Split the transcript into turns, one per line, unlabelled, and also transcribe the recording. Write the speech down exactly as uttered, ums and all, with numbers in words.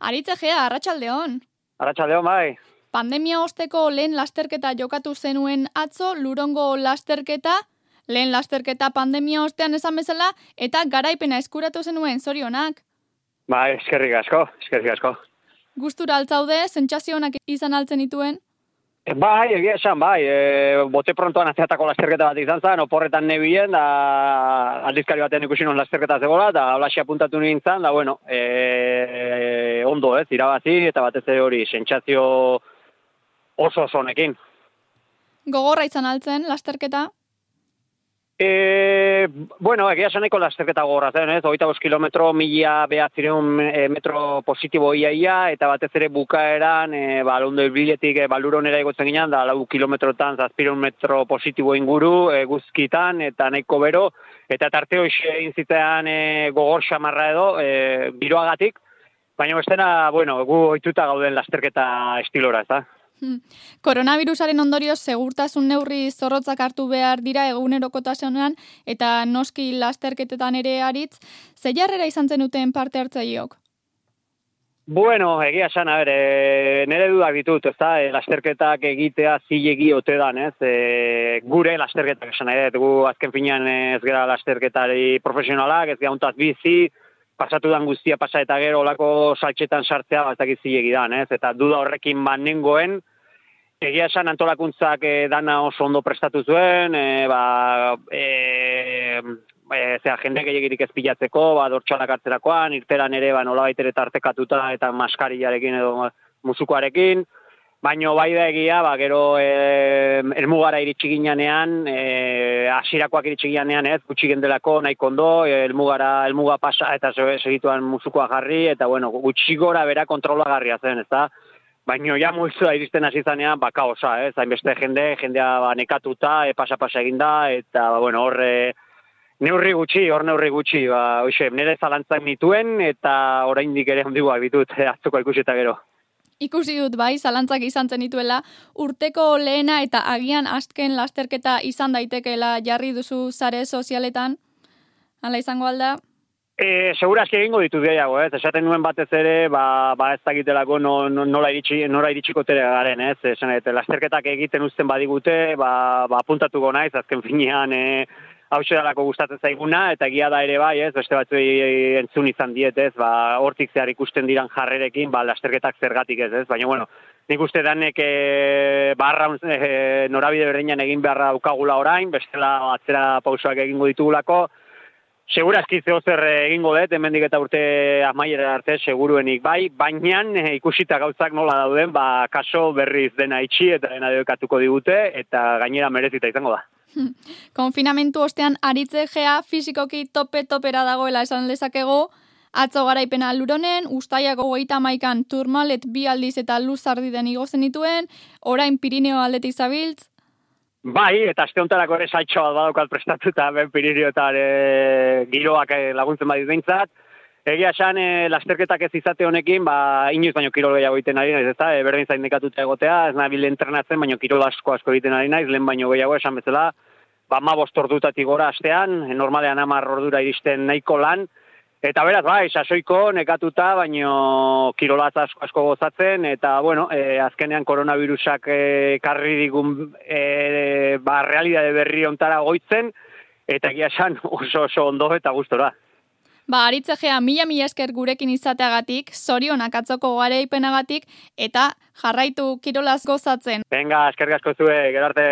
Aritz Egea, arratsaldeon.
Arratsaldeon, bai.
Pandemia osteko lehen lasterketa jokatu zenuen atzo, Lurongo lasterketa, lehen lasterketa pandemia ostean esan bezala, eta garaipena eskuratu zenuen, zorionak.
Bai, eskerrik asko, eskerrik asko.
Gustura altzaude, sentsazio onak izan altzen dituen?
Bai, egia esan, bai, e, bote prontoan azeatako lasterketa bat izan zen, oporretan nebien, da aldizkari batean ikusi non lasterketa zegoela, da alaxia puntatu nintzen, da bueno, e, e, ondo ez, irabazi, eta batez ere hori, sentsazio oso oso honekin.
Gogorra izan altzen, lasterketa?
E, bueno, egia esaneko lasterketa gogorra zen, ez? hogeita bost kilometro, mila behatzireun e, metro positibo iaia, eta batez ere bukaeran, e, ba, londo ibiletik e, baluronera egotzen ginen, da lau kilometrotan, zazpireun metro positibo inguru, e, guzkitan, eta nahiko bero, eta tarte hoxe egin zitean e, gogor xamarra edo, e, giroagatik, baina bestena, bueno, gu ohituta gauden lasterketa estilora, ez da?
Hmm. Koronavirusaren ondorioz segurtasun neurri zorrotzak hartu behar dira egunerokotasunean eta noski lasterketetan ere Aritz, ze jarrera izan zenuten parte hartzaileok?
Bueno, egia esan, a ber, e, nire dudak ditut, ez da, e, lasterketak egitea zilegi ote dan, ez, e, gure lasterketak esan nahi dut, gu azken finean ez gara lasterketari profesionalak, ez gara untaz bizi, pasatu dan guztia pasa eta gero olako saltxetan sartzea bat dakit zilegi dan, ez? Eta duda horrekin banengoen, egia esan antolakuntzak e, dana oso ondo prestatu zuen, e, ba, e, e, zera, jende gehiagirik ez pilatzeko, ba, dortxalak hartzerakoan, irteran ere, ba, nolabait ere tartekatuta eta maskariarekin edo musukoarekin, baino bai da egia, ba, gero e, elmugara iritsi ginean, e, asirakoak iritsi ginean, ez, gutxi gendelako nahiko ondo, e, elmugara, elmuga pasa eta segituan musukoa jarri, eta bueno, gutxi gora bera kontrola garria zen, ez da? Baino ja multzua iristen hasi zanean, ba, kaosa, ez, hainbeste jende, jendea ba, nekatuta, e, pasa-pasa eginda, eta, ba, bueno, horre, neurri gutxi, hor neurri gutxi, ba, oixe, nire zalantzak nituen, eta oraindik ere ondiguak ditut, atzuko ikusi eta gero.
Ikusi dut bai, zalantzak izan zenituela, urteko lehena eta agian azken lasterketa izan daitekeela jarri duzu sare sozialetan, hala izango alda?
E, segurazki egingo ditut gehiago, ez? Esaten nuen batez ere, ba, ba ez dakitelako no, no, nola, iritsi, nola iritsiko tere garen, ez? Esan, et, lasterketak egiten uzten badigute, ba, ba apuntatuko naiz, azken finean, e, hau dalako gustatzen zaiguna, eta egia da ere bai, ez, beste batzuei entzun izan diet, ez, ba, hortik zehar ikusten diran jarrerekin, ba, lasterketak zergatik ez, ez, baina, bueno, nik uste danek e, barra e, norabide berdinean egin beharra daukagula orain, bestela atzera pausoak egingo ditugulako, segurazki zeo zer egingo dut, hemendik eta urte amaiera arte seguruenik bai, baina e, ikusita gauzak nola dauden, ba, kaso berriz dena itxi eta dena debekatuko digute, eta gainera merezita izango da.
Konfinamentu ostean Aritz Egea fisikoki tope-topera dagoela esan lezakego, atzo garaipena Luronen, Uztailako hogeita hamaikan Tourmalet bi aldiz eta Luzardiden igo zenituen, orain Pirineo aldetik zabiltz.
Bai, eta aste hontarako ere saltxo bat badaukat prestatuta, ben Pirineoetan e, giroak e, laguntzen badit behintzat. Egia esan, e, lasterketak ez izate honekin, ba, inoiz baino kirol gehiago egiten ari naiz, ez da, e, berdin zain nekatuta egotea, ez nabil entrenatzen, baino kirol asko asko egiten ari naiz, lehen baino gehiago esan bezala, ba, ma bost ordutatik gora astean, e, normalean hamar ordura iristen nahiko lan, eta beraz, bai, sasoiko nekatuta, baino kirolaz asko asko gozatzen, eta, bueno, e, azkenean koronavirusak e, karri digun e, ba, realidade berri ontara goitzen, eta egia esan oso oso ondo eta gustora.
Ba, Aritz Egea, mila mila esker gurekin izateagatik, zorionak atzoko garaipenagatik, eta jarraitu kirolaz gozatzen.
Venga, eskerrik asko zue, gero arte.